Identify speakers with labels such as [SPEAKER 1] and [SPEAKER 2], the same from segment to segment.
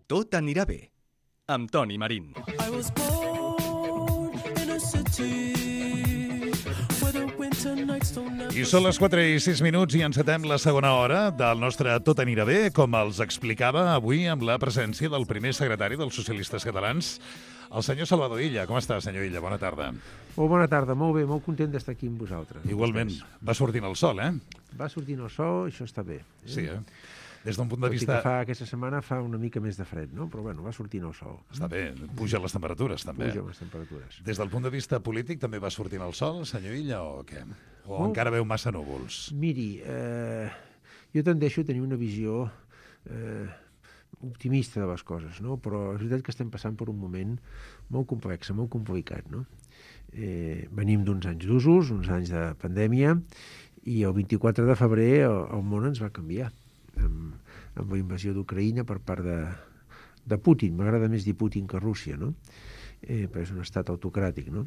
[SPEAKER 1] Tot anirà bé, amb Toni Marín.
[SPEAKER 2] I was born in a city where the winter nights don't never...
[SPEAKER 3] I són les 4:06 i encetem la segona hora del nostre Tot anirà bé, com els explicava avui amb la presència del primer secretari dels Socialistes Catalans, el senyor Salvador Illa. Com està, senyor Illa? Bona tarda.
[SPEAKER 4] Bona tarda, molt bé, molt content d'estar aquí amb vosaltres.
[SPEAKER 3] Igualment. Va sortint el sol,
[SPEAKER 4] Va sortint el sol, això està bé.
[SPEAKER 3] Sí, Des d'un punt de
[SPEAKER 4] Tot i
[SPEAKER 3] vista...
[SPEAKER 4] que aquesta setmana fa una mica més de fred, no? Però bueno, va sortint el sol.
[SPEAKER 3] Està bé, pugen les temperatures, també.
[SPEAKER 4] Pugen les temperatures.
[SPEAKER 3] Des del punt de vista polític també va sortint el sol, senyor Illa, o què? O encara veu massa núvols?
[SPEAKER 4] Miri, jo tendeixo a tenir una visió optimista de les coses, no? Però és veritat que estem passant per un moment molt complex, molt complicat, no? Venim d'uns anys d'usos, uns anys de pandèmia, i el 24 de febrer el món ens va canviar amb la invasió d'Ucraïna per part de Putin. M'agrada més dir Putin que Rússia, no? Perquè és un estat autocràtic, no?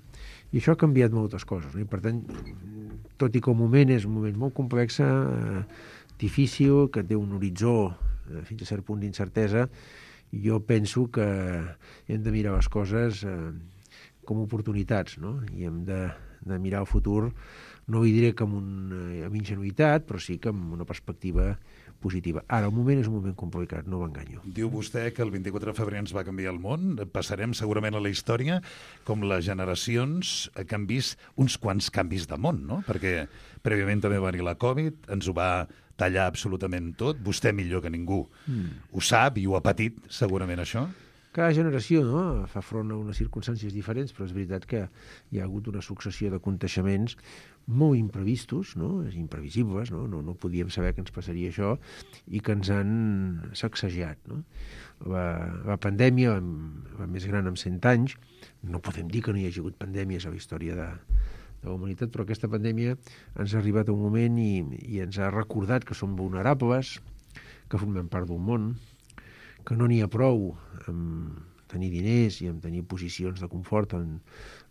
[SPEAKER 4] I això ha canviat moltes coses, no? I per tant, tot i que el moment és un moment molt complex, difícil, que té un horitzó fins a cert punt d'incertesa, jo penso que hem de mirar les coses com oportunitats, no? I hem de mirar el futur, no hi diré que amb ingenuïtat, però sí que amb una perspectiva positiva. Ara, el moment és un moment complicat, no m'enganyo.
[SPEAKER 3] Diu vostè que el 24 de febrer ens va canviar el món. Passarem segurament a la història com les generacions que han vist uns quants canvis de món, no? Perquè prèviament també va venir la Covid, ens ho va tallar absolutament tot. Vostè millor que ningú ho sap i ho ha patit, segurament, això.
[SPEAKER 4] Cada generació, no?, fa front a unes circumstàncies diferents, però és veritat que hi ha hagut una successió de aconteixements molt imprevistos, no?, imprevisibles, no podíem saber que ens passaria això i que ens han sacsejat, no? La pandèmia, la més gran amb 100 anys, no podem dir que no hi hagi hagut pandèmies a la història de la humanitat, però aquesta pandèmia ens ha arribat a un moment i ens ha recordat que som vulnerables, que formem part d'un món, que no n'hi ha prou amb tenir diners i amb tenir posicions de confort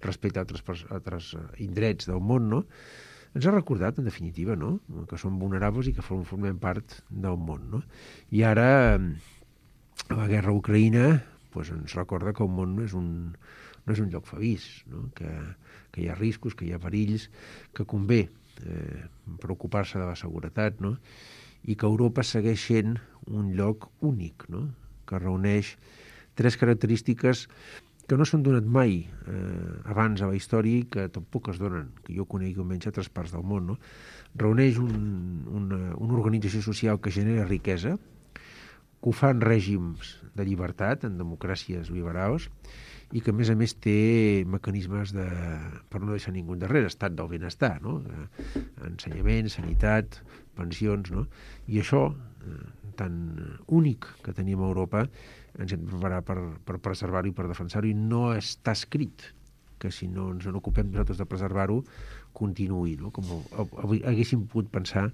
[SPEAKER 4] respecte a altres indrets del món, no? Ens ha recordat, en definitiva, no?, que som vulnerables i que formem part del món, no? I ara la guerra a Ucraïna ens recorda que el món no és un lloc feliç, no? Que hi ha riscos, que hi ha perills, que convé preocupar-se de la seguretat, no? I que Europa segueix sent un lloc únic, no?, que reuneix tres característiques que no s'han donat mai abans a la història i que tampoc es donen, que jo conegui almenys a altres parts del món, no? Reuneix una organització social que genera riquesa, que ho fa en règims de llibertat, en democràcies liberals, i que, a més, té mecanismes per no deixar ningú endarrere, estat del benestar, no? Ensenyament, sanitat, pensions, no? I això, tan únic que tenim a Europa, ens hem de preparar per preservar-ho i per defensar-ho, i no està escrit que si no ens ocupem nosaltres de preservar-ho, continuï, no?, com haguéssim pogut pensar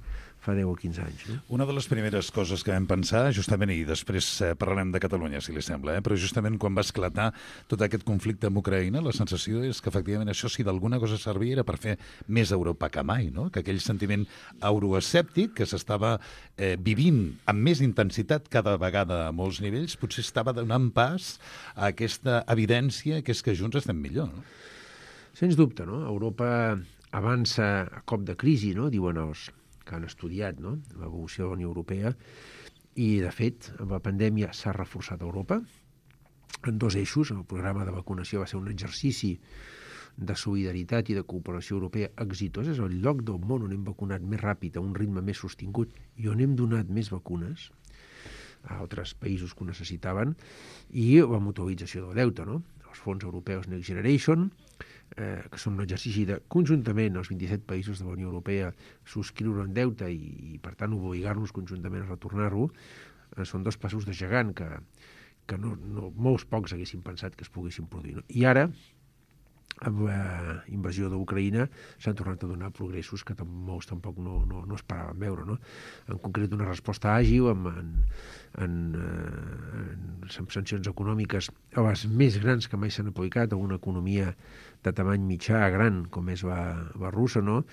[SPEAKER 4] fa 10 o 15 anys. No?
[SPEAKER 3] Una de les primeres coses que vam pensar, justament, i després parlarem de Catalunya, si li sembla, però justament quan va esclatar tot aquest conflicte amb Ucraïna, la sensació és que, efectivament, això, si d'alguna cosa servia, era per fer més Europa que mai, no? Que aquell sentiment euroescèptic que s'estava vivint amb més intensitat cada vegada a molts nivells, potser estava donant pas a aquesta evidència que és que junts estem millor, no?
[SPEAKER 4] Sens dubte, no? Europa avança a cop de crisi, no?, diuen els que han estudiat, no?, l'evolució de la Unió Europea, i, de fet, amb la pandèmia s'ha reforçat Europa en dos eixos. El programa de vacunació va ser un exercici de solidaritat i de cooperació europea exitós. És el lloc del món on hem vacunat més ràpid, a un ritme més sostingut, i on hem donat més vacunes a altres països que ho necessitaven, i la mutualització del deute, no?, els fons europeus Next Generation, que són un exercici de, conjuntament, els 27 països de la Unió Europea subscriure un deute i per tant, obligar-nos conjuntament a retornar-lo, són dos passos de gegant que molts pocs haguessin pensat que es poguessin produir, no? I ara, amb la invasió d'Ucraïna, s'han tornat a donar progressos que molts tampoc no esperaven veure, no? En concret, una resposta àgil en sancions econòmiques a les més grans que mai s'han aplicat a una economia de tamany mitjà a gran, com és la russa, no?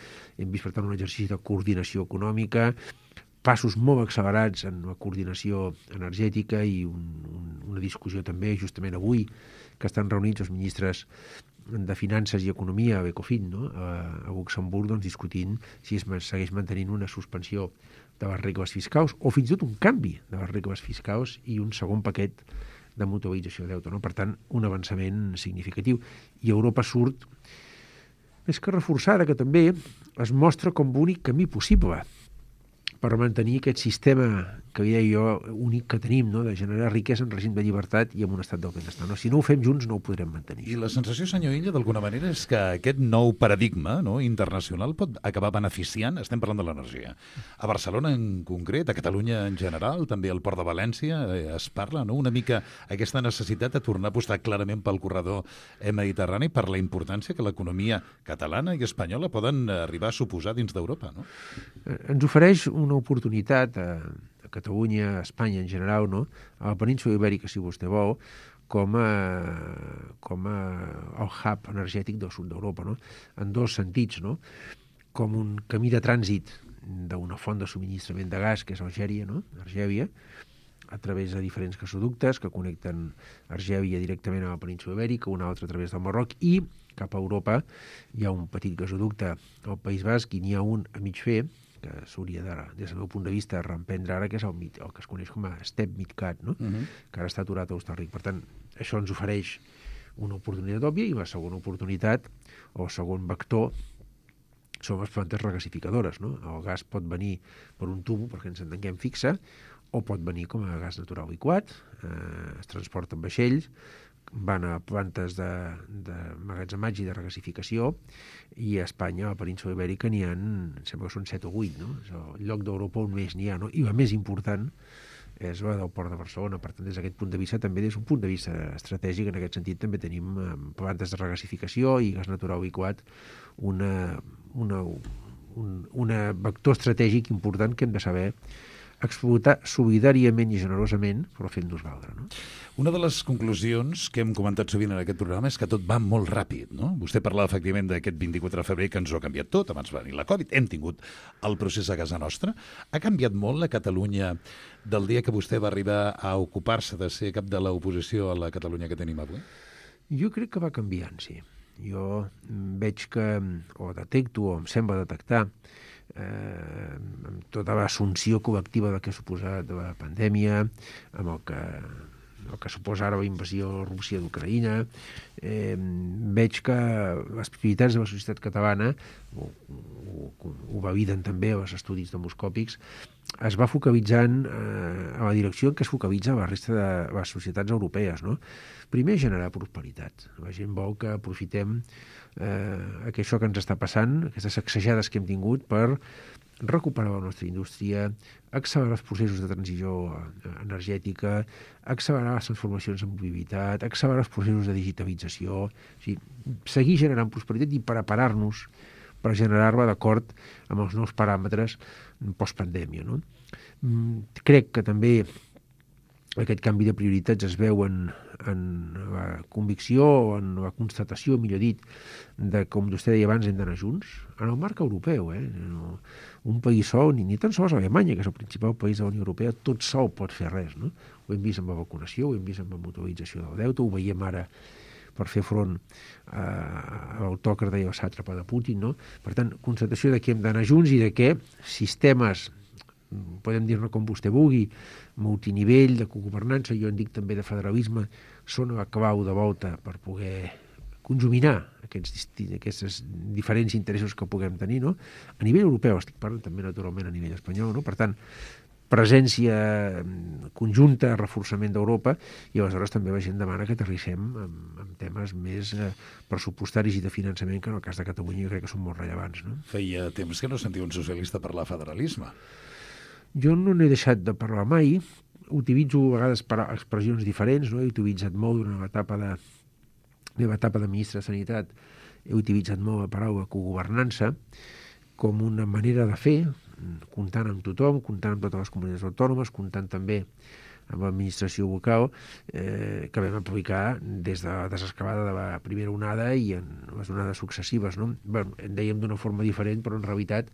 [SPEAKER 4] Hem vist, per tant, un exercici de coordinació econòmica, passos molt accelerats en la coordinació energètica i una discussió també justament avui que estan reunits els ministres de Finances i Economia a Ecofin, no? A Luxemburg, doncs, discutint si es segueix mantenint una suspensió de les regles fiscals o fins i tot un canvi de les regles fiscals i un segon paquet de mutualització de deute. No? Per tant, un avançament significatiu. I Europa surt més que reforçada, que també es mostra com l'únic camí possible per mantenir aquest sistema que deia jo únic que tenim, no? De generar riquesa en règim de llibertat i en un estat del benestar. No? Si no ho fem junts no ho podrem mantenir.
[SPEAKER 3] I la sensació, senyor Illa, d'alguna manera és que aquest nou paradigma, no, internacional pot acabar beneficiant, estem parlant de l'energia. A Barcelona en concret, a Catalunya en general, també al Port de València es parla, no? Una mica aquesta necessitat de tornar a apostar clarament pel corredor mediterrani per la importància que l'economia catalana i espanyola poden arribar a suposar dins d'Europa, no?
[SPEAKER 4] Ens ofereix una oportunitat a Catalunya, a Espanya en general, no? A la península Ibèrica, si vostè vol, com a el hub energètic del sud d'Europa, no? En dos sentits, no? Com un camí de trànsit d'una font de subministrament de gas, que és Algèria, no? Argèlia, a través de diferents gasoductes que connecten Argèlia directament a la península Ibèrica, un altre a través del Marroc, i cap a Europa hi ha un petit gasoducte al País Basc i n'hi ha un a mig fer, que s'hauria de, des del meu punt de vista, reemprendre ara, que és el que es coneix com a Step Midcat, no? Que ara està aturat a Hostalric. Per tant, això ens ofereix una oportunitat òbvia i la segona oportunitat, o el segon vector, són les plantes regasificadores, no? El gas pot venir per un tubo, perquè ens entenguem, fixa, o pot venir com a gas natural liquat, es transporta en vaixells, van a plantes de magatzematge i de regasificació, i a Espanya, a la península Ibèrica, n'hi ha, em sembla que són 7 o 8, no? És el lloc d'Europa on més n'hi ha, no? I la més important és la del Port de Barcelona. Per tant, des d'aquest punt de vista, també des d'un punt de vista estratègic, en aquest sentit, també tenim plantes de regasificació i gas natural liquat, un vector estratègic important que hem de saber explotar solidàriament i generosament, però fent-nos valdre, no?
[SPEAKER 3] Una de les conclusions que hem comentat sovint en aquest programa és que tot va molt ràpid, no? Vostè parlava efectivament d'aquest 24 de febrer que ens ho ha canviat tot, abans va venir la Covid, hem tingut el procés a casa nostra. Ha canviat molt la Catalunya del dia que vostè va arribar a ocupar-se de ser cap de l'oposició a la Catalunya que tenim avui?
[SPEAKER 4] Jo crec que va canviant, sí. Jo veig que, o detecto, o em sembla detectar, amb tota l'assumpció col·lectiva del que ha suposat la pandèmia, amb el que suposa ara la invasió de Rússia d'Ucraïna, veig que les prioritats de la societat catalana, ho validen també els estudis demoscòpics, es va focalitzant a la direcció en què es focalitza la resta de les societats europees, no? Primer, generar prosperitat. La gent vol que aprofitem això que ens està passant, aquestes sacsejades que hem tingut, per recuperar la nostra indústria, accelerar els processos de transició energètica, accelerar les transformacions en mobilitat, accelerar els processos de digitalització, o sigui, seguir generant prosperitat i preparar-nos per generar-la d'acord amb els nous paràmetres postpandèmia, no? Crec que també aquest canvi de prioritats es veu en la convicció o en la constatació, millor dit, de, com vostè deia abans, hem d'anar junts, en el marc europeu. Un país sol, ni tan sols Alemanya, que és el principal país de la Unió Europea, tot sol pot fer res, no? Ho hem vist amb la vacunació, ho hem vist amb la mutualització del deute, ho veiem ara per fer front a l'autòcrata i al sàtrapa de Putin, no? Per tant, constatació de que hem d'anar junts i de que sistemes, podem dir-ne com vostè vulgui, multinivell, de cogovernança, jo en dic també de federalisme, són la clau de volta per poder conjuminar aquests diferents interessos que puguem tenir, no? A nivell europeu, estic parlant també naturalment a nivell espanyol, no? Per tant, presència conjunta, reforçament d'Europa, i aleshores també la gent demana que aterrissem en temes més pressupostaris i de finançament, que en el cas de Catalunya jo crec que són molt rellevants, no?
[SPEAKER 3] Feia temps que no sentia un socialista parlar federalisme.
[SPEAKER 4] Jo no n'he deixat de parlar mai, utilitzo a vegades expressions diferents, no? He utilitzat molt durant l'etapa de ministre de Sanitat, he utilitzat molt la paraula cogovernança com una manera de fer, comptant amb tothom, comptant amb totes les comunitats autònomes, comptant també amb l'administració local, que vam aplicar des de la desescalada de la primera onada i en les onades successives, no? Bé, en dèiem d'una forma diferent, però en realitat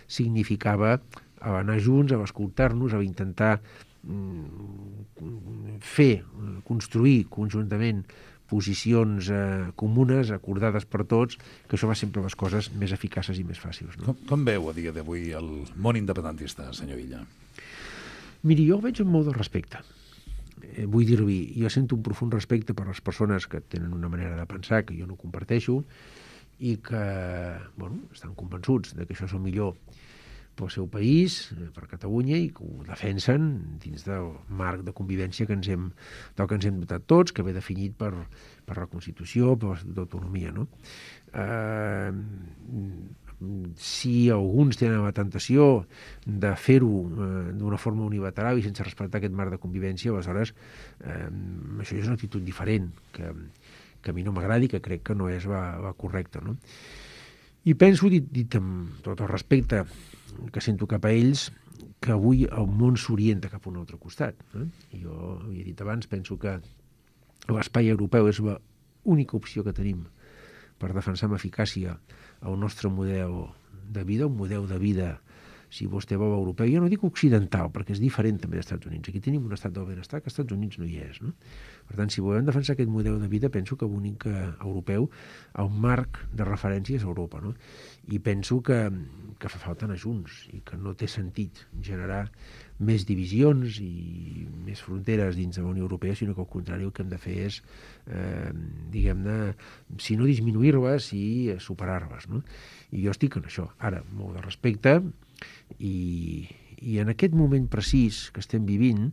[SPEAKER 4] significava a anar junts, a escoltar-nos, a intentar construir conjuntament posicions comunes, acordades per tots, que això va sempre les coses més eficaces i més fàcils. No?
[SPEAKER 3] Com veu a dia d'avui el món independentista, senyor Illa?
[SPEAKER 4] Miri, jo ho veig amb molt de respecte. Vull dir-li, jo sento un profund respecte per les persones que tenen una manera de pensar que jo no comparteixo i que estan convençuts de que això és el millor pel seu país, per Catalunya, i que ho defensen dins del marc de convivència del que ens hem dotat tots, que ve definit per la Constitució, per l'Estatut d'autonomia. No? Si alguns tenen la tentació de fer-ho d'una forma unilateral i sense respectar aquest marc de convivència, aleshores això és una actitud diferent, que a mi no m'agradi, que crec que no és la correcta. No? I penso, dit amb tot el respecte que sento cap a ells, que avui el món s'orienta cap a un altre costat. Jo havia dit abans, penso que l'espai europeu és l'única opció que tenim per defensar amb eficàcia el nostre model de vida, un model de vida, si vostè vol, europeu. Jo no dic occidental, perquè és diferent també dels Estats Units. Aquí tenim un estat del benestar que als Estats Units no hi és. No? Per tant, si volem defensar aquest model de vida, penso que l'únic europeu, el marc de referència és Europa. No? I penso que fa falta anar junts i que no té sentit generar més divisions i més fronteres dins de la Unió Europea, sinó que al contrari el que hem de fer és, diguem-ne, si no disminuir-les, i superar-les. No? I jo estic en això. Ara, molt de respecte, i en aquest moment precís que estem vivint,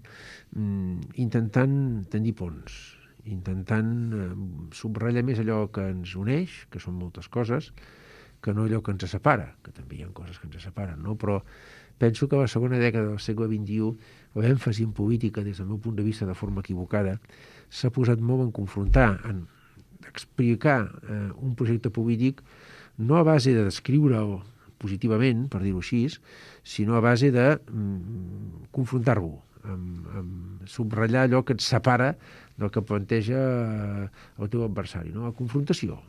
[SPEAKER 4] intentant tendir ponts, intentant subratllar més allò que ens uneix, que són moltes coses, que no allò que ens separa, que també hi ha coses que ens separen, no? Però penso que a la segona dècada del segle XXI l'èmfasi en política, des del meu punt de vista de forma equivocada, s'ha posat molt en confrontar, en explicar un projecte polític no a base de descriure'l positivament, per dir-ho així, sinó a base de confrontar-lo, amb subratllar allò que et separa del que planteja el teu adversari, no? La confrontació.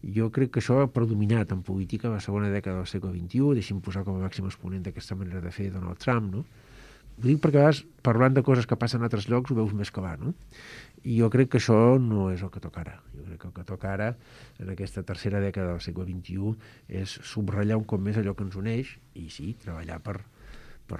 [SPEAKER 4] Jo crec que això ha predominat en política a la segona dècada del segle XXI, deixi'm posar com a màxim exponent d'aquesta manera de fer Donald Trump, no? Ho dic perquè a vegades, parlant de coses que passen a altres llocs, ho veus més clar, no? I jo crec que això no és el que toca ara. Jo crec que el que toca ara, en aquesta tercera dècada del segle XXI, és subratllar un cop més allò que ens uneix i, sí, treballar per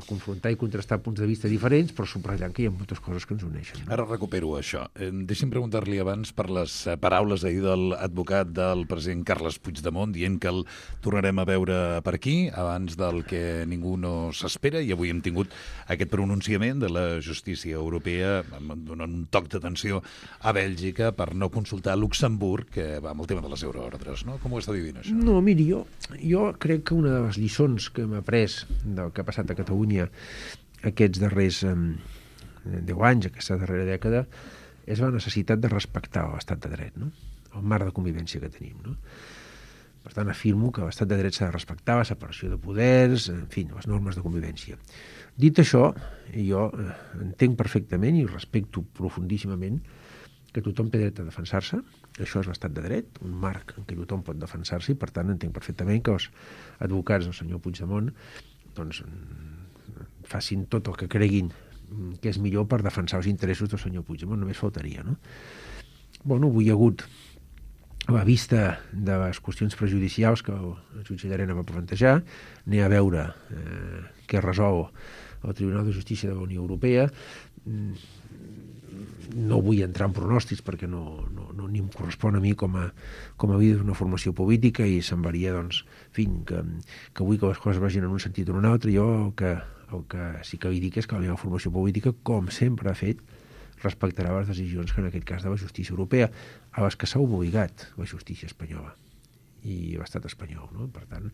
[SPEAKER 4] confrontar i contrastar punts de vista diferents, però subratllant que hi ha moltes coses que ens uneixen.
[SPEAKER 3] Ara recupero això. Deixi'm preguntar-li abans per les paraules ahir de l'advocat del president Carles Puigdemont, dient que el tornarem a veure per aquí, abans del que ningú no s'espera, i avui hem tingut aquest pronunciament de la justícia europea, donant un toc d'atenció a Bèlgica per no consultar Luxemburg, que va amb el tema de les euroordres, no? Com ho està vivint, això?
[SPEAKER 4] No, miri, jo crec que una de les lliçons que hem après del que ha passat a Catalunya aquests darrers 10 anys, aquesta darrera dècada, és la necessitat de respectar l'estat de dret, no? El marc de convivència que tenim. No? Per tant, afirmo que l'estat de dret s'ha de respectar, la separació de poders, en fi, les normes de convivència. Dit això, jo entenc perfectament i respecto profundíssimament que tothom té dret a defensar-se. Això és l'estat de dret, un marc en què tothom pot defensar-se, i per tant entenc perfectament que els advocats del senyor Puigdemont doncs facin tot el que creguin que és millor per defensar els interessos del senyor Puigdemont, només faltaria, no? Bueno, avui hi ha hagut, a la vista de les qüestions prejudicials que el jutge Llarena va plantejar, anem a veure què resol el Tribunal de Justícia de la Unió Europea. No vull entrar en pronòstics perquè ni em correspon a mi com a líder d'una formació política, i semblaria, doncs, en fi, que vull que les coses vagin en un sentit o en un altre. Jo el que sí que li dic és que la meva formació política, com sempre ha fet, respectarà les decisions que en aquest cas de la justícia europea, a les que s'ha obligat la justícia espanyola i l'estat espanyol, no? Per tant,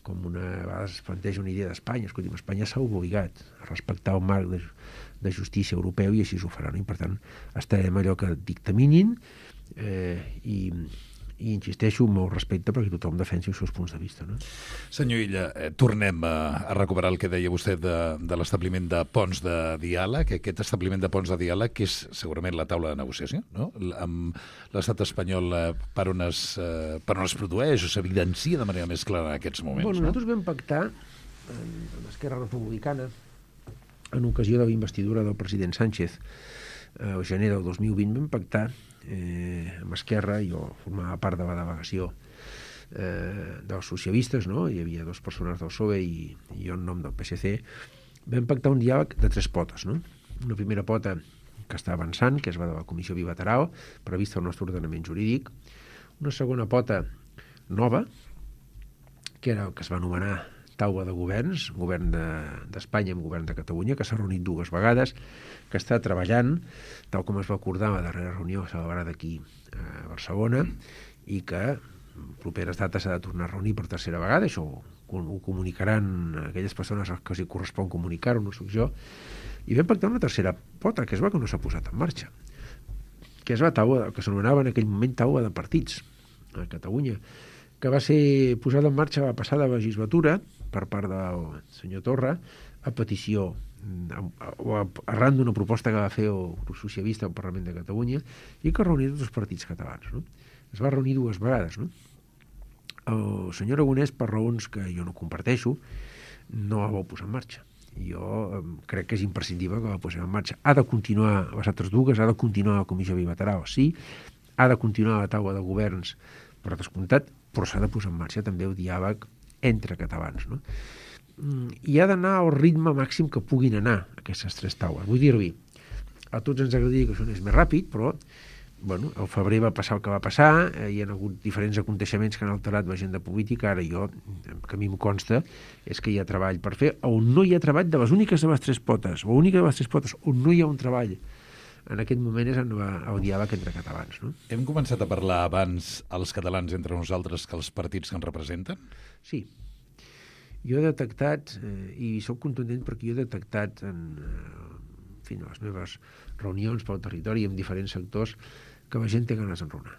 [SPEAKER 4] com a vegades es planteja una idea d'Espanya, escolti'm, Espanya s'ha obligat a respectar el marc de justícia europeu, i així ho faran, i per tant estarem allò que dictaminin, i insisteixo amb molt respecte perquè tothom defensi els seus punts de vista, no?
[SPEAKER 3] Senyor Illa, tornem a recuperar el que deia vostè de l'establiment de ponts de diàleg, aquest establiment de ponts de diàleg que és segurament la taula de negociació, no? Amb l'estat espanyol per on es produeix o s'evidencia de manera més clara en aquests moments.
[SPEAKER 4] Bueno, nosaltres vam pactar en Esquerra Republicana, en ocasió de la investidura del president Sánchez al gener del 2020, vam pactar amb Esquerra, jo formava part de la delegació dels socialistes, no? Hi havia 2 persones del PSOE i jo en nom del PSC, vam pactar un diàleg de 3 potes, no? Una primera pota que està avançant, que és la de la Comissió Bilateral, prevista al nostre ordenament jurídic, una segona pota nova, que era el que es va anomenar taula de governs, govern d'Espanya amb govern de Catalunya, que s'ha reunit 2 vegades, que està treballant, tal com es va acordar a la darrera reunió celebrada aquí a Barcelona, i que en properes dates s'ha de tornar a reunir per tercera vegada. Això ho comunicaran aquelles persones que els correspon comunicar-ho, no soc jo. I vam pactar una tercera pota, que és la que no s'ha posat en marxa, que és la taula, que s'anomenava en aquell moment taula de partits a Catalunya, que va ser posada en marxa la passada legislatura per part del senyor Torra a petició o arran d'una proposta que va fer el grup socialista al Parlament de Catalunya i que reunia tots els partits catalans, no? Es va reunir 2 vegades, no? El senyor Aragonès, per raons que jo no comparteixo, no la vol posar en marxa. Jo crec que és imprescindible que la posem en marxa. Ha de continuar les altres 2, ha de continuar la comissió bilateral, sí, ha de continuar la taula de governs, per descomptat, però s'ha de posar en marxa també el diàleg entre catalans, no? I ha d'anar al ritme màxim que puguin anar aquestes 3 taules. Vull dir-li, a tots ens agradaria que això anés més ràpid, però bueno, al febrer va passar el que va passar, hi ha hagut diferents aconteixements que han alterat l'agenda política. Ara jo, que a mi em consta, és que hi ha treball per fer, on no hi ha treball de les úniques de les 3 potes, l'única de les 3 potes on no hi ha un treball en aquest moment és el diàleg entre catalans, no?
[SPEAKER 3] Hem començat a parlar abans els catalans entre nosaltres que els partits que ens representen?
[SPEAKER 4] Sí. Jo he detectat, i soc contundent perquè jo he detectat en les meves reunions pel territori amb diferents sectors, que la gent té ganes d'enraonar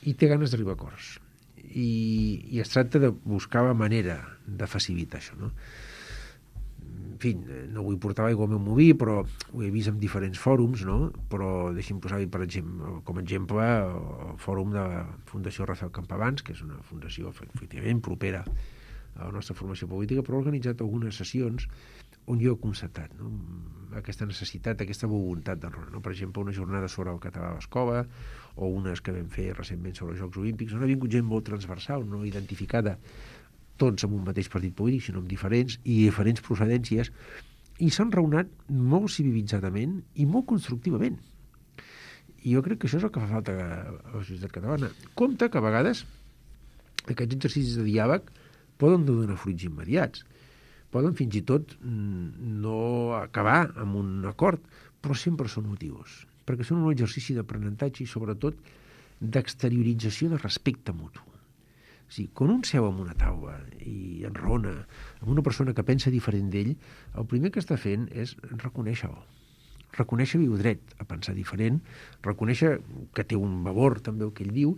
[SPEAKER 4] i té ganes d'arribar a acords i es tracta de buscar la manera de facilitar això, no? En fi, no vull portar l'aigua al meu molí, però ho he vist en diferents fòrums, no? Però deixi'm posar-hi com a exemple el fòrum de la Fundació Rafael Campabans, que és una fundació efectivament propera a la nostra formació política, però ha organitzat algunes sessions on jo he constatat, no? Aquesta necessitat, aquesta voluntat d'enraonar, no? Per exemple, una jornada sobre el català a l'escola o unes que vam fer recentment sobre els Jocs Olímpics, on ha vingut gent molt transversal, no identificada tots amb un mateix partit polític, sinó amb diferents i diferents procedències, i s'han raonat molt civilitzadament i molt constructivament. I jo crec que això és el que fa falta a la societat catalana. Compte que a vegades aquests exercicis de diàleg poden no donar fruits immediats, poden fins i tot no acabar amb un acord, però sempre són motius, perquè són un exercici d'aprenentatge i sobretot d'exteriorització de respecte mutu. O sigui, quan un seu en una taula i enraona amb una persona que pensa diferent d'ell, el primer que està fent és reconèixer-ho. Reconèixer-li el dret a pensar diferent, reconèixer que té un valor també el que ell diu,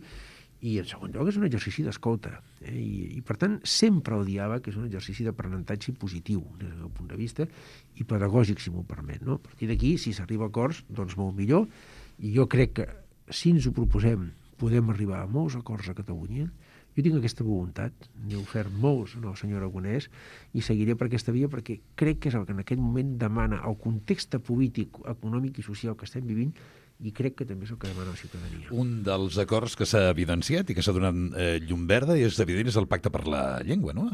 [SPEAKER 4] i en segon lloc és un exercici d'escolta. I per tant, sempre el diàleg és un exercici d'aprenentatge positiu des del meu punt de vista i pedagògic, si m'ho permet, no? A partir d'aquí, si s'arriba a acords, doncs molt millor, i jo crec que si ens ho proposem podem arribar a molts acords a Catalunya. Jo tinc aquesta voluntat, n'he ofert molts al senyor Aragonès i seguiré per aquesta via perquè crec que és el que en aquest moment demana el context polític, econòmic i social que estem vivint, i crec que també és el que demana la ciutadania.
[SPEAKER 3] Un dels acords que s'ha evidenciat i que s'ha donat llum verda és evident és el pacte per la llengua, no?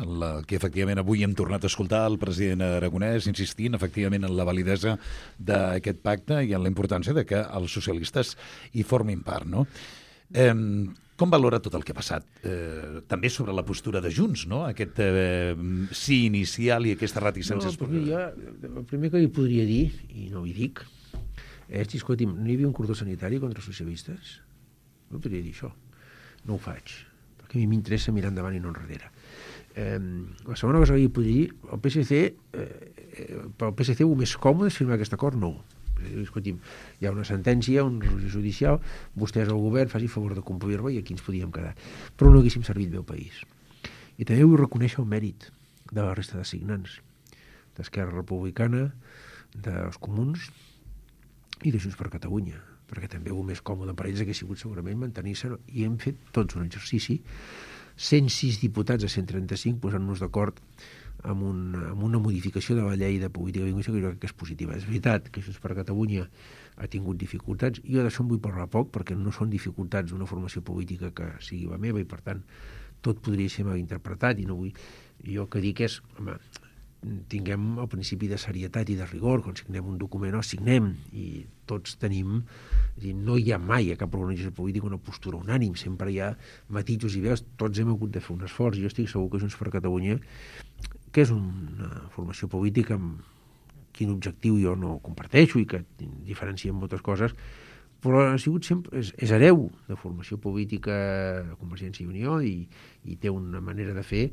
[SPEAKER 3] Que efectivament avui hem tornat a escoltar el president Aragonès insistint efectivament en la validesa d'aquest pacte i en la importància de que els socialistes hi formin part, no? Com valora tot el que ha passat? També sobre la postura de Junts, no? Aquest sí inicial i aquesta reticència.
[SPEAKER 4] El primer que li podria dir, i no ho dic, és, escolti'm, no hi havia un cordó sanitari contra els socialistes? No podria dir això. No ho faig, perquè a mi m'interessa mirar endavant i no enrere. La segona cosa que li podria dir, pel PSC el més còmode és firmar aquest acord? No. Escolti'm, hi ha una sentència, una resolució judicial, vostès al govern faci favor de complir-la i aquí ens podíem quedar. Però no haguéssim servit bé al país. I també vull reconèixer el mèrit de la resta de signants, d'Esquerra Republicana, dels Comuns i de Junts per Catalunya, perquè també el més còmode per ells hagués sigut segurament mantenir-se, i hem fet tots un exercici 106 diputats a 135 posant-nos d'acord amb una modificació de la llei de política lingüística que jo crec que és positiva. És veritat que Junts per Catalunya ha tingut dificultats. Jo d'això en vull parlar poc, perquè no són dificultats d'una formació política que sigui la meva i, per tant, tot podria ser mal interpretat i no vull... Jo que dic és, home, tinguem el principi de serietat i de rigor. Quan signem un document o signem, i tots tenim... És dir, no hi ha mai a cap organització política una postura unànime, sempre hi ha matisos i veus, tots hem hagut de fer un esforç. Jo estic segur que Junts per Catalunya, que és una formació política amb quin objectiu jo no comparteixo i que diferencia en moltes coses, però ha sigut sempre, és hereu de formació política de Convergència i Unió i té una manera de fer.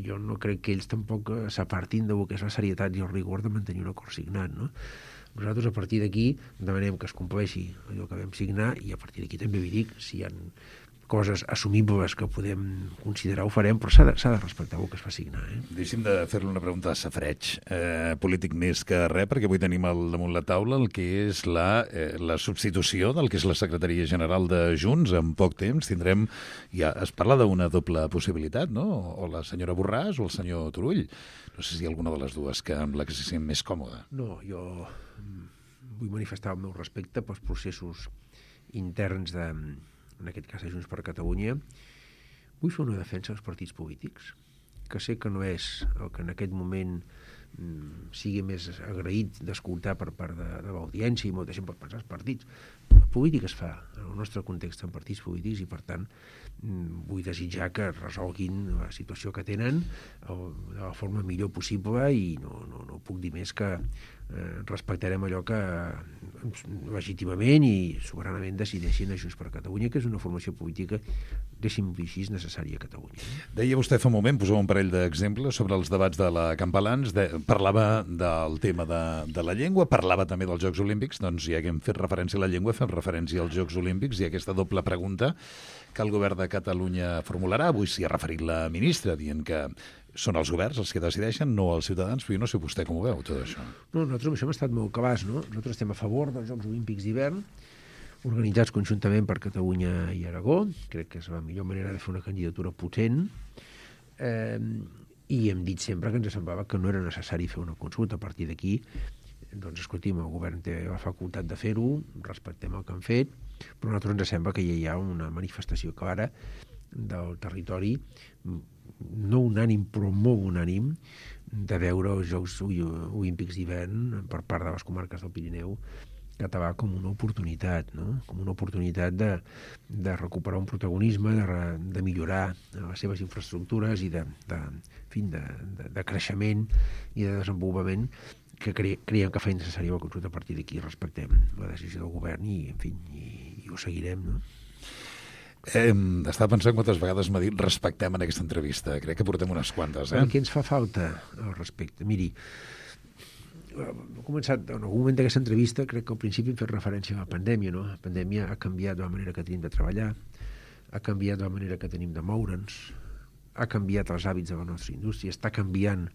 [SPEAKER 4] Jo no crec que ells tampoc s'apartin del que és la serietat i el rigor de mantenir un acord signat, no? Nosaltres, a partir d'aquí, demanem que es compleixi allò que vam signar i a partir d'aquí també vi dic, si hi ha coses assumibles que podem considerar ho farem, però s'ha de respectar el que es va signar.
[SPEAKER 3] Deixi'm de fer-li una pregunta de safreig, polític més que res, perquè avui tenim damunt la taula el que és la substitució del que és la secretaria general de Junts. En poc temps tindrem... Ja es parla d'una doble possibilitat, no? O la senyora Borràs o el senyor Turull. No sé si hi ha alguna de les dues amb la que se sent més còmoda.
[SPEAKER 4] No, jo vull manifestar el meu respecte pels processos interns en aquest cas de Junts per Catalunya. Vull fer una defensa dels partits polítics, que sé que no és el que en aquest moment sigui més agraït d'escoltar per part de l'audiència i molta gent pot pensar els partits. La política es fa en el nostre context en partits polítics i, per tant, vull desitjar que resolguin la situació que tenen de la forma millor possible i no puc dir més que respectarem allò que legítimament i soberanament decideixin a Junts per Catalunya, que és una formació política, deixi'm dir així, necessària a Catalunya.
[SPEAKER 3] Deia vostè fa un moment, posava un parell d'exemples sobre els debats de la Campalans, parlava del tema de la llengua, parlava també dels Jocs Olímpics, doncs ja que hem fet referència a la llengua, fem referència als Jocs Olímpics i aquesta doble pregunta que el govern de Catalunya formularà. Avui s'hi ha referit la ministra, dient que són els governs els que decideixen, no els ciutadans, però jo no sé vostè com ho veu, tot això.
[SPEAKER 4] No, nosaltres amb això hem estat molt cabals, no? Nosaltres estem a favor dels Jocs Olímpics d'hivern, organitzats conjuntament per Catalunya i Aragó. Crec que és la millor manera de fer una candidatura potent. I hem dit sempre que ens semblava que no era necessari fer una consulta. A partir d'aquí, doncs, escolti'm, el govern té la facultat de fer-ho, respectem el que han fet, però a nosaltres ens sembla que ja hi ha una manifestació clara del territori, no unànim, però molt unànim, de veure els Jocs Olímpics d'hivern per part de les comarques del Pirineu català com una oportunitat, no? Com una oportunitat de recuperar un protagonisme, de millorar les seves infraestructures i de creixement i de desenvolupament que creiem que fa necessari la consulta. A partir d'aquí respectem la decisió del govern i, en fi, i ho seguirem, no?
[SPEAKER 3] Estava pensant quantes vegades m'ha dit respectem en aquesta entrevista. Crec que portem unes quantes,
[SPEAKER 4] Què ens fa falta al respecte? Miri, he començat, en algun moment d'aquesta entrevista, crec que al principi hem fet referència a la pandèmia, no? La pandèmia ha canviat la manera que tenim de treballar, ha canviat la manera que tenim de moure'ns, ha canviat els hàbits de la nostra indústria, està canviant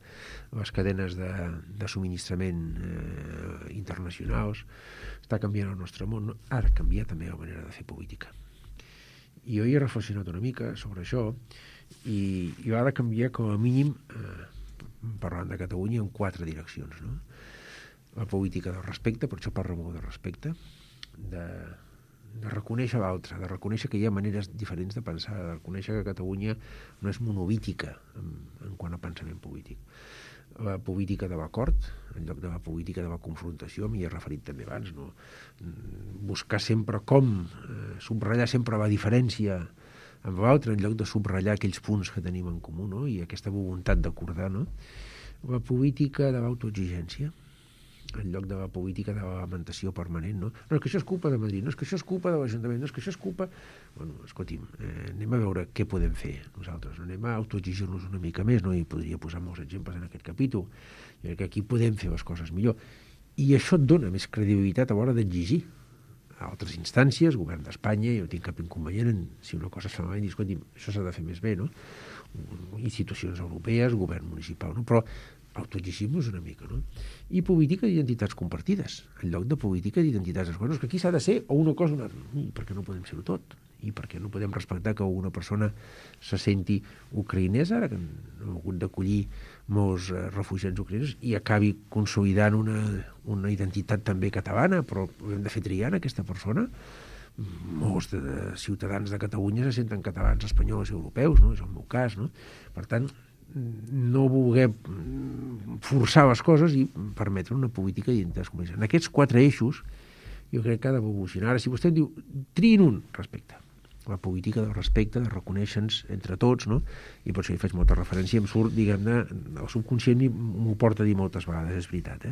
[SPEAKER 4] les cadenes de subministrament internacionals, està canviant el nostre món, ha de canviar també la manera de fer política. I jo hi he reflexionat una mica sobre això i ha de canviar com a mínim, parlant de Catalunya, en 4 direccions, no? La política del respecte, per això parlo molt de respecte, de reconèixer l'altre, de reconèixer que hi ha maneres diferents de pensar, de reconèixer que Catalunya no és monolítica en quant a pensament polític. La política de l'acord, en lloc de la política de la confrontació, m'hi he referit també abans, no? Buscar sempre com, subratllar sempre la diferència amb l'altre, en lloc de subratllar aquells punts que tenim en comú, no? I aquesta voluntat d'acordar, no? La política de l'autoexigència, en lloc de la política de la lamentació permanent, no? No, és que això és culpa de Madrid, no és que això és culpa de l'Ajuntament, no és que això és culpa... Bueno, escolti'm, anem a veure què podem fer nosaltres, no? Anem a autoexigir-nos una mica més, no? I podria posar molts exemples en aquest capítol. Jo crec que aquí podem fer les coses millor. I això et dona més credibilitat a l'hora d'exigir a altres instàncies, govern d'Espanya, jo no tinc cap inconvenient en, si una cosa es fa malament, escolti'm, això s'ha de fer més bé, no? Institucions europees, govern municipal, no? Però autoexigim-nos una mica, no? I política d'identitats compartides, en lloc de política d'identitats escoles, que aquí s'ha de ser o una cosa o una altra, perquè no podem ser-ho tot. i perquè no podem respectar que una persona se senti ucraïnesa, ara que hem hagut d'acollir molts refugiats ucraïnesos, i acabi consolidant una identitat també catalana, però hem de fer triar aquesta persona. Molts de ciutadans de Catalunya se senten catalans, espanyols i europeus, no? És el meu cas, no? Per tant, no voler forçar les coses i permetre una política d'identitats comunes. En aquests 4 eixos jo crec que ha d'evolucionar. Ara, si vostè em diu, triïn un, respecte. La política del respecte, de reconèixer-nos entre tots, no? I per això hi faig molta referència, em surt, diguem-ne, el subconscient m'ho porta a dir moltes vegades, és veritat,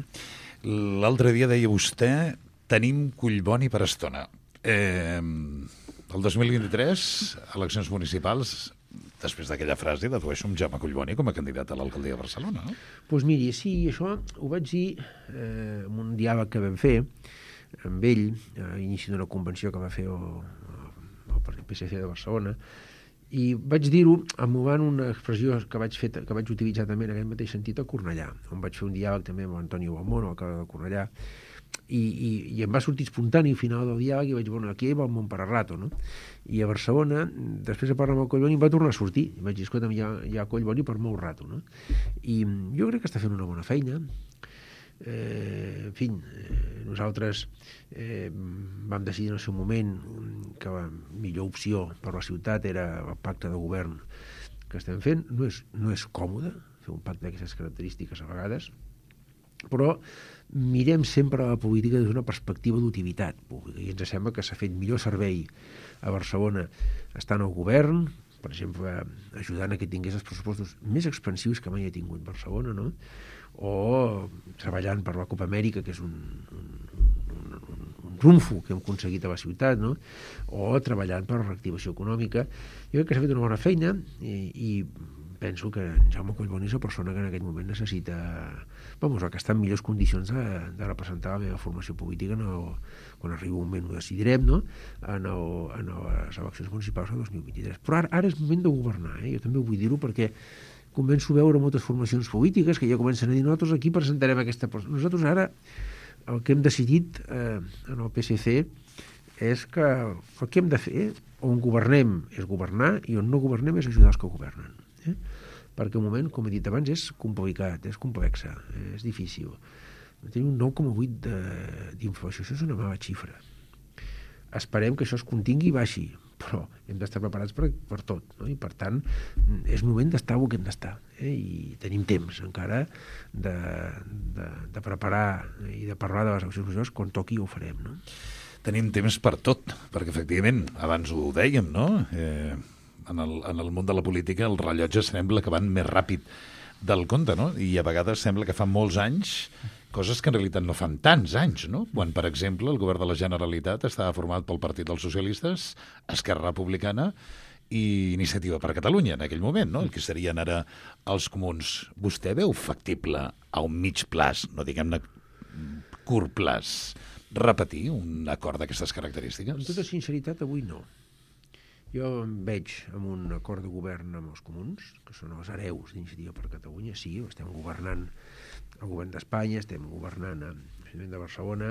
[SPEAKER 3] L'altre dia deia vostè, tenim collboni per estona. El 2023, eleccions municipals, després d'aquella frase, dedueixo un Jaume Collboni com a candidat a l'alcaldia de Barcelona, no?
[SPEAKER 4] Doncs miri, sí, això ho vaig dir en un diàleg que vam fer amb ell, a inici d'una convenció que va fer el PSC de Barcelona, i vaig dir-ho emulant una expressió que vaig utilitzar també en aquest mateix sentit a Cornellà, on vaig fer un diàleg també amb Antonio Balmón, alcalde de Cornellà, i em va sortir espontani al final del diàleg i vaig dir, bueno, aquí va el món per a rato, no? I a Barcelona, després de parlar amb el Collboni, em va tornar a sortir. I vaig dir, escolta'm, hi ha Collboni per molt rato, no? I jo crec que està fent una bona feina. En fi, nosaltres vam decidir en el seu moment que la millor opció per la ciutat era el pacte de govern que estem fent. No és còmode fer un pacte d'aquestes característiques a vegades, però mirem sempre la política des d'una perspectiva d'utilitat pública i ens sembla que s'ha fet millor servei a Barcelona estant al govern, per exemple, ajudant a que tingués els pressupostos més expansius que mai ha tingut Barcelona, no? O treballant per la Copa Amèrica, que és un trumfo que hem aconseguit a la ciutat, no? O treballant per la reactivació econòmica. Jo crec que s'ha fet una bona feina i penso que en Jaume Collboni és la persona que en aquest moment necessita, que està en millors condicions de representar la meva formació política quan arribi un moment ho decidirem, no? En les eleccions municipals del 2023. Però ara és moment de governar, jo també vull dir-ho perquè començo a veure moltes formacions polítiques que ja comencen a dir nosaltres aquí presentarem aquesta persona. Nosaltres ara el que hem decidit en el PSC és que el que hem de fer on governem és governar i on no governem és ajudar els que governen. Perquè el moment, com he dit abans, és complicat, és complexa, és difícil. Tenim un 9,8 d'inflació, això és una mala xifra. Esperem que això es contingui i baixi, però hem d'estar preparats per tot, no? I per tant és moment d'estar on hem d'estar, i tenim temps encara de preparar i de parlar de les eleccions majors quan toqui ho farem, no?
[SPEAKER 3] Tenim temps per tot, perquè efectivament, abans ho dèiem, no? En el món de la política el rellotge sembla que van més ràpid del compte, no? I a vegades sembla que fa molts anys coses que en realitat no fan tants anys, no? Quan, per exemple, el govern de la Generalitat estava format pel Partit dels Socialistes, Esquerra Republicana i Iniciativa per Catalunya, en aquell moment, no? El que serien ara els comuns. Vostè veu factible a un mig plaç, no diguem-ne curt plaç, repetir un acord d'aquestes característiques?
[SPEAKER 4] Amb tota sinceritat, avui no. Jo em veig amb un acord de govern amb els comuns, que són els hereus d'Iniciativa per Catalunya. Sí, estem governant al govern d'Espanya, estem governant a l'Ajuntament de Barcelona,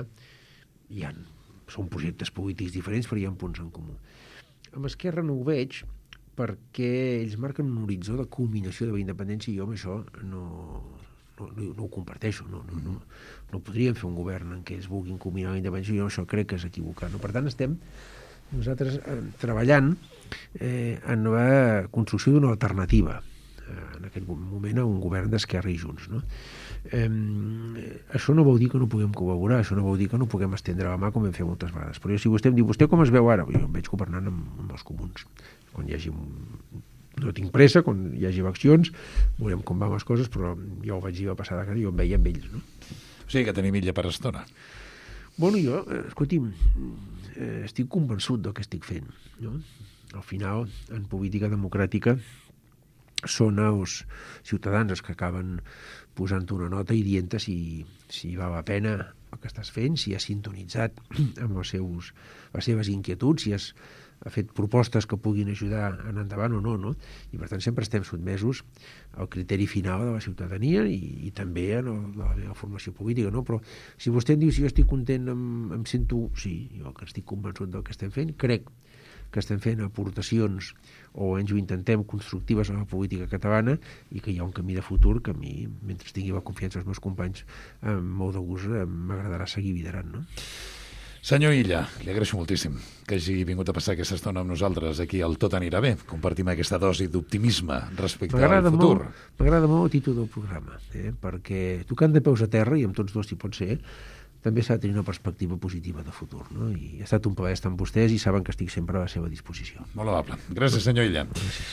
[SPEAKER 4] són projectes polítics diferents, però hi ha punts en comú. Amb Esquerra no ho veig perquè ells marquen un horitzó de culminació de la independència i jo amb això no ho comparteixo. No podríem fer un govern en què es vulguin culminar la independència i jo això crec que és equivocat. Per tant, estem nosaltres treballant en la construcció d'una alternativa en aquest moment a un govern d'Esquerra i Junts, no? Això no vol dir que no puguem col·laborar, això no vol dir que no puguem estendre la mà com hem fet moltes vegades, però si vostè em diu, vostè com es veu ara? Jo em veig governant amb els comuns. Quan hi hagi no tinc pressa, quan hi hagi eleccions veurem com van les coses, però jo ho vaig dir la passada que jo em veia amb ells, no?
[SPEAKER 3] O sigui que tenim illa per estona.
[SPEAKER 4] Bueno, jo, escolti'm, estic convençut del que estic fent, no? Al final, en política democràtica, són els ciutadans els que acaben posant una nota i dient-te si val la pena el que estàs fent, si has sintonitzat amb les seves inquietuds, si has fet propostes que puguin ajudar a anar endavant o no, no? I per tant sempre estem sotmesos al criteri final de la ciutadania i també a la meva formació política, no? Però si vostè em diu si jo estic content, em sento... Sí, jo que estic convençut del que estem fent, crec que estem fent aportacions o ens ho intentem constructives a la política catalana i que hi ha un camí de futur que a mi, mentre tingui la confiança dels meus companys, amb molt de gust m'agradarà seguir liderant, no?
[SPEAKER 3] Senyor Illa, li agraeixo moltíssim que hagi vingut a passar aquesta estona amb nosaltres aquí al Tot anirà bé. Compartim aquesta dosi d'optimisme respecte al futur.
[SPEAKER 4] M'agrada molt el títol del programa, perquè tocant de peus a terra, i amb tots dos si pot ser, també s'ha de tenir una perspectiva positiva de futur, no? I ha estat un plaer estar amb vostès i saben que estic sempre a la seva disposició.
[SPEAKER 3] Molt amable. Gràcies, senyor Illa.
[SPEAKER 4] Gràcies.